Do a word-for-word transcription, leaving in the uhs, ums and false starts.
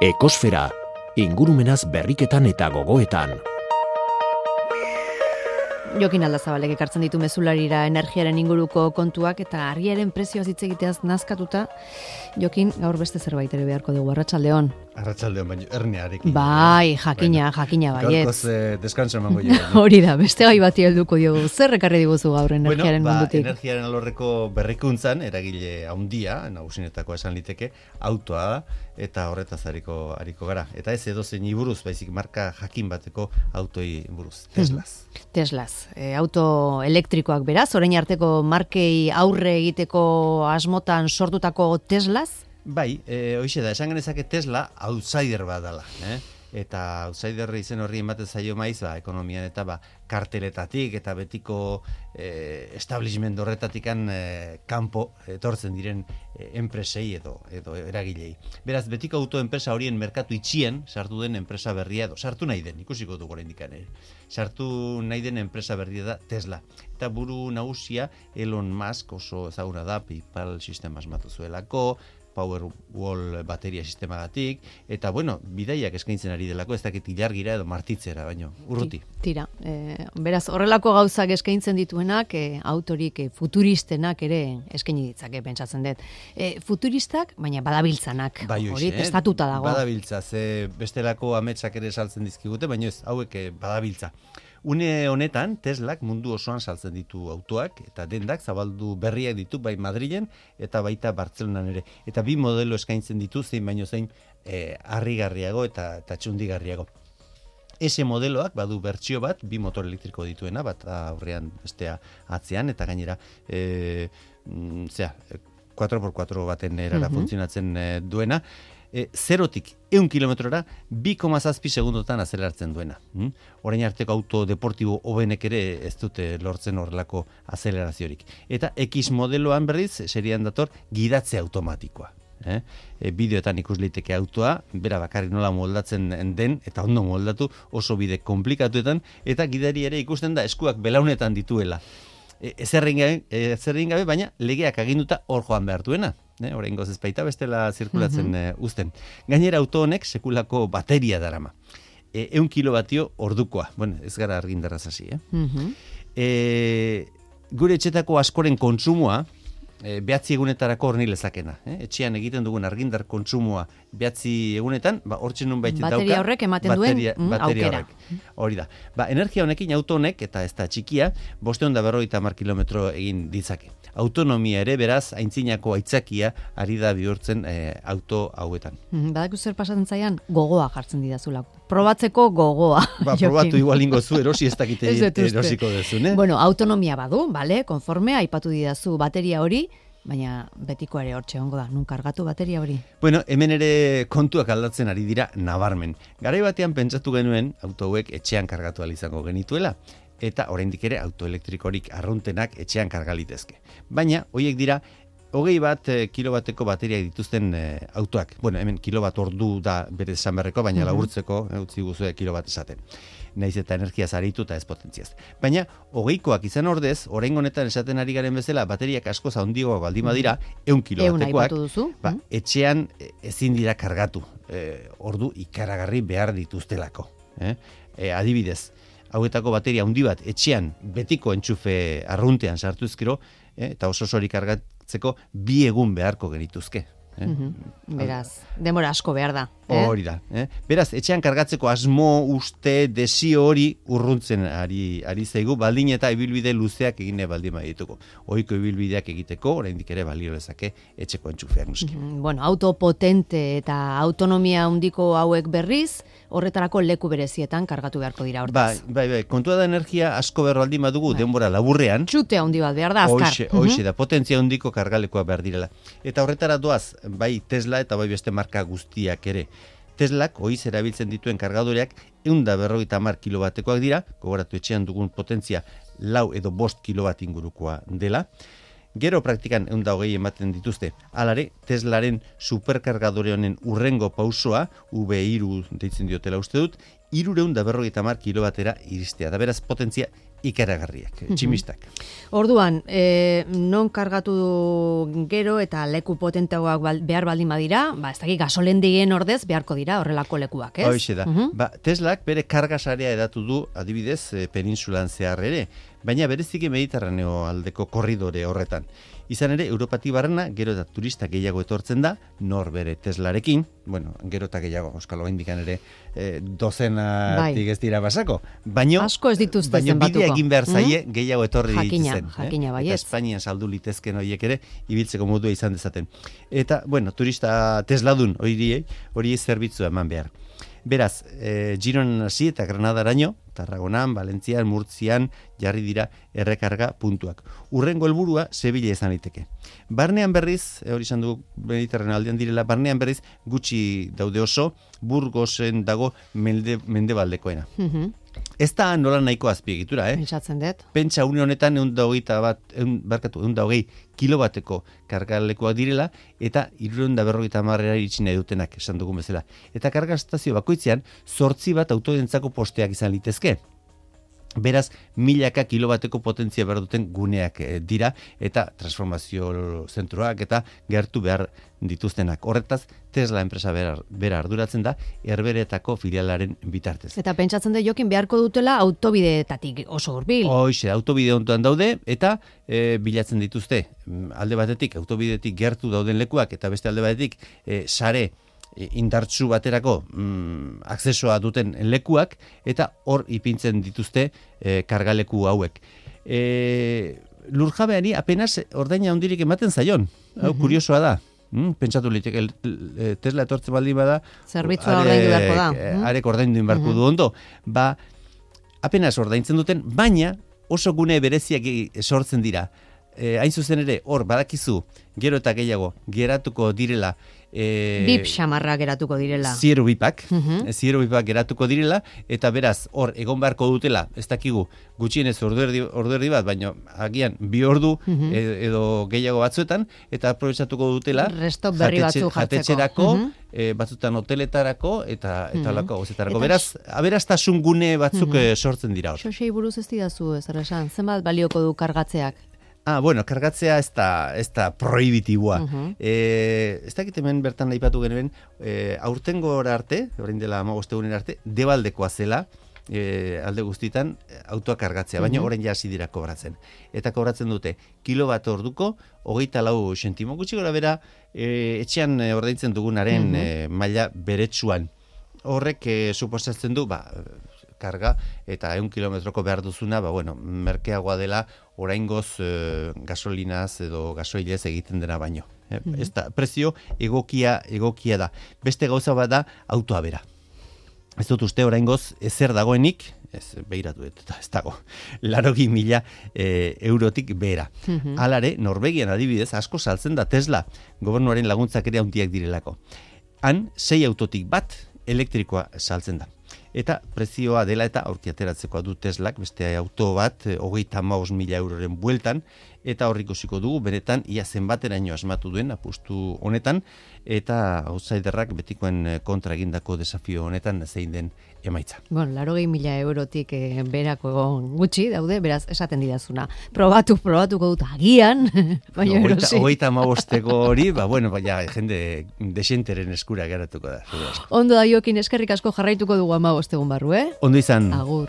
Ekosfera, ingurumenaz berriketan eta gogoetan. Jokin Aldazabalek ekartzen ditu mezularira energiaren inguruko kontuak eta argiaren prezioaz hitz egiteaz nazkatuta. Jokin, gaur beste zerbait ere beharko dugu, arratsaldeon. Arratsaldeon, baina hernearekin. Bai, jakina, jakina baietz. Gaurkoz eh, deskanso emango jo. Hori da, beste gai bati helduko diogu. Zer ekarri diguzu gaur energiaren bueno, mundutik? Ba, energiaren alorreko berrikuntzan, eragile handia, nagusinetako esan liteke, autoa da, eta horretaz ariko, ariko gara. Eta ez edozein buruz, baizik marka jakin bateko autoi buruz, Teslaz. Teslaz, e, auto elektrikoak beraz, orain arteko markei aurre egiteko asmotan sortutako Teslaz? Bai, e, hoxe da, esan genezake Tesla outsider bat dela, eh? Eta outsider izen horri ematen zaio maiz, ba, ekonomian eta ba, karteletatik eta betiko e, establishment horretatikan e, kanpo etortzen diren e, enpresei edo, edo eragilei. Beraz, betiko autoenpresa horien merkatu itxien sartu den enpresa berria edo, sartu nahi den, ikusiko dugu oraindik ere. Sartu nahi den enpresa berria da Tesla. Eta buru nagusia Elon Musk oso ezaguna da, PayPal sistema asmatu zuelako, Powerwall bateria sistemagatik, eta bueno, bidaiak eskaintzen ari delako, ez dakit ilargira edo martitzera, baino, urruti. Tira, e, beraz, horrelako gauzak eskaintzen dituenak, e, autorik e, futuristenak ere eskaini ditzake, pentsatzen dut. E, futuristak, baina badabiltzanak, bai, hori eh? testatuta dago. Badabiltza, ze bestelako ametsak ere saltzen dizkigute, baina ez, hauek eh, badabiltza. Une honetan, Teslak mundu osoan saltzen ditu autoak, eta dendak zabaldu berriak ditu, bai Madrilen, eta baita Bartzelonan ere. Eta bi modelo eskaintzen ditu, zein baino zein eh, harrigarriago eta, eta txundigarriago. Ese modeloak badu bertsio bat, bi motor elektriko dituena, bat aurrean bestea atzean, eta gainera, e, zera, cuatro por cuatro baten erara uh-huh. funtzionatzen e, duena, E, zerotik ehun kilometrora bi koma zazpi segundotan azelerartzen duena. Hm? Orain arteko auto deportibo hobenek ere ez dute lortzen horrelako azeleraziorik. Eta X modeloan berriz, serian dator, gidatze automatikoa. Eh? E, bideoetan ikus liteke autoa, bera bakarrik nola moldatzen den, eta ondo moldatu oso bide komplikatuetan, eta gidari ere ikusten da eskuak belaunetan dituela. Ezerrein gabe, ezerrein gabe, baina legeak aginduta hor joan behar duena. Eh, oraingoz ez baita bestela zirkulatzen uh-huh. uzten. Gainera auto honek sekulako bateria darama. E, ehun kilovatio ordukoa. Bueno, ez gara argindarraz hasi, eh? Uh-huh. E, gure etxetako askoren kontsumoa e, behatzi egunetarako horni lezakena. Eh? Etxean egiten dugun argindar kontsumoa behatzi egunetan, ba, hortzen nun baita dauka. Bateria horrek ematen bateria, duen mm, bateria aukera. Horrek. Hori da. Ba, energia honekin auto honek, eta ez da txikia, bosteun da berrogeita hamar kilometro egin ditzake. Autonomia ere beraz, aintzinako aitzakia ari da bihurtzen e, auto hauetan. Mm, badaku zer pasatzen zaian, gogoa jartzen didazula. Probatzeko gogoa. Ba, probatu igual ingo zu, erosi ez dakite erosiko duzun, eh? Bueno, autonomia badu, bale, konforme, aipatu didazu bateria hori, baina betiko ere hortxe ongo da, nun kargatu bateria hori? Bueno, hemen ere kontuak aldatzen ari dira nabarmen. Garai batean pentsatu genuen auto hauek etxean kargatu ahal izango genituela, eta oraindik ere autoelektrikorik arruntenak etxean kargalitezke. Baina, horiek dira, hogei bat e, kilobateko bateriak dituzten e, autoak. Bueno, hemen kilobat ordu da bere esan berreko, baina uh-huh. laburtzeko e, utzi guzue kilobat esaten. Naiz eta energiaz aritu eta ez potentziaz. Baina, hogeikoak izan ordez, orain honetan esaten ari garen bezala, bateriak asko zaundigoak baldin badira, ehun kilobatekoak, ba, etxean ezin dira kargatu. E, ordu ikaragarri behar dituztelako. Eh? E, adibidez, hauetako bateria handi bat etxean betiko entxufe arruntean sartu ezkero, eh, eta oso osorik kargatzeko bi egun beharko genituzke. Eh? Uh-huh. Beraz, demora asko behar da. Eh? Hori da. Eh? Beraz, etxean kargatzeko asmo, uste, desio hori urruntzen ari, ari zaigu, baldin eta ibilbide luzeak egine baldin badituko. Ohiko ibilbideak egiteko, oraindik ere balio lezake etxeko entxufeak nuski. Uh-huh. Bueno, auto potente eta autonomia handiko hauek berriz, horretarako leku berezietan kargatu beharko dira hortaz. Bai, bai, bai. Kontua da energia asko behar baldin badugu, bai. Denbora laburrean. Txute handi bat behar da, azkar. Hoxe, hoxe uh-huh. da, potentzia handiko kargalekoa behar direla. Eta horretara doaz, bai Tesla eta bai beste marka guztiak ere. Teslak oiz erabiltzen dituen kargadoreak ehun eta berrogeita hamar kilobatekoak dira, gogoratu etxean dugun potentzia lau edo bost kilobat ingurukoa dela. Gero praktikan ehun eta hogei ematen dituzte. Halare, Teslaren superkargadore honen urrengo pausoa, V hiru deitzen diotela uste dut, hiruehun eta berrogeita hamar kilobatera iristea. Da beraz potentzia ikaragarriak, tximistak. Orduan, e, non kargatu gero eta leku potenteagoak bal, behar baldin badira, ba, ez dakik gasolendigien ordez beharko dira horrelako lekuak, ez? Hoxe da. Uh-huh. Ba, Teslak bere kargasarea edatu du, adibidez, e, peninsulan zehar ere, baina bereziki Mediterraneo aldeko korridore horretan. Izan ere, Europatik barrena, gero eta turista gehiago etortzen da, nor bere Teslarekin, bueno, gero eta gehiago, euskalo indikan ere, e, dozenatik ez dira basako. Baino, asko ez dituzte baino zenbatuko. Bidea egin behar zaie, mm? gehiago etorri jakina, ditzen. Jakina, eh? bai Eta Espainian saldu litezken horiek ere, ibiltzeko modua izan dezaten. Eta, bueno, turista Tesladun horiei, horiei zerbitzua eman behar. Beraz, e, Gironan hasi eta Granadaraino, Tarragonan, Valentzian, Murtzian, jarri dira errekarga puntuak. Urrengo helburua Sevilla izan liteke. Barnean berriz, e, hori izan dugu Mediterraneo aldean direla, barnean berriz gutxi daude oso, Burgosen dago mende, mendebaldekoena. Mm-hmm. Ez da nola nahiko azpiegitura, eh? Pentsatzen dut. Pentsa une honetan ehun eta hogeita bat, ehun, barkatu, ehun eta hogei kilobateko kargalekuak direla, eta hirurehun eta berrogeita hamarera iritsi nahi dutenak, esan dugun bezala. Eta kargastazio bakoitzean, zortzi bat autodentzako posteak izan litezke. Beraz, milaka kilobateko potentzia behar duten guneak dira, eta transformazio zentroak eta gertu behar dituztenak. Horretaz, Tesla enpresa bera, bera arduratzen da, Herberetako filialaren bitartez. Eta pentsatzen da jokin beharko dutela autobideetatik oso hurbil. Hoxe, autobide hontuan daude, eta e, bilatzen dituzte, alde batetik, autobidetik gertu dauden lekuak, eta beste alde batetik, e, sare, indartsu baterako mm, akzesoa duten lekuak, eta hor ipintzen dituzte e, kargaleku hauek. E, lurjabeari apenas ordaina handirik ematen zaion. Hau, mm-hmm. kuriosoa da. Mm, pentsatu liteke, Tesla etortzen baldin bada, zerbitzua ordaindu beharko da. Arek ordaindu beharko mm-hmm. du ondo. Ba, apenas ordaintzen duten, baina oso gune bereziak sortzen dira. E, hain zuzen ere, hor badakizu, gero eta gehiago, geratuko direla, e, bip xamarra geratuko direla. Zieru bipak, uh-huh. zieru bipak geratuko direla, eta beraz, hor, egon beharko dutela, ez dakigu, gutxienez orduerdi, orduerdi bat, baina agian bi ordu uh-huh. edo gehiago batzuetan, eta aprobetxatuko dutela, resto berri batzu jartzeko. Jatetxerako, uh-huh. e, batzutan hoteletarako, eta eta uh-huh. lako gozetarako. Beraz, aberastasun gune batzuk uh-huh. sortzen dira hor. Xosei buruz ez didazu, ez esan, zenbat balioko du kargatzeak? Ah, bueno, kargatzea ez da, ez da prohibitiboa. Uh-huh. E, ez dakit hemen bertan aipatu genuen, e, aurtengo arte, orain dela hamabost egunen arte, debaldekoa zela, e, alde guztitan, autoa kargatzea, baina uh-huh. orain ja hasi dira kobratzen. Eta kobratzen dute, kilo bat orduko, hogeita lau sentimo, gutxi gora bera, e, etxean ordaintzen dugunaren uh-huh. e, maila beretsuan. Horrek e, suposatzen du, ba, karga eta ehun kilometroko behar duzuna, ba, bueno, merkeagoa dela oraingoz e, gasolinaz edo gasoilez egiten dena baino. E, mm-hmm. Ez da, prezio egokia egokia da. Beste gauza bat da autoa bera. Ez dut uste oraingoz ezer dagoenik, ez behiratu eta ez dago, larogi mila e, eurotik behera. Mm-hmm. Halare, Norvegian adibidez asko saltzen da Tesla, gobernuaren laguntzak ere handiak direlako. Han, sei autotik bat elektrikoa saltzen da. Eta prezioa dela eta aurki ateratzekoa du Teslak, beste auto bat, hogeita hamabost mila euroren bueltan, eta hor ikusiko dugu, benetan, ia zenbateraino asmatu duen, apustu honetan, eta outsiderrak betikoen kontra egindako desafio honetan zein den emaitza. Bueno, larogei mila eurotik eh, berako egon gutxi daude, beraz, esaten didazuna. Probatu, probatuko dut agian, baina no, erosi. Hogeita hamabosteko hori, ba, bueno, baina jende desenteren eskura geratuko da. Ondo da, Jokin, eskerrik asko jarraituko dugu hamabost egun barru, eh? Ondo izan. Agur.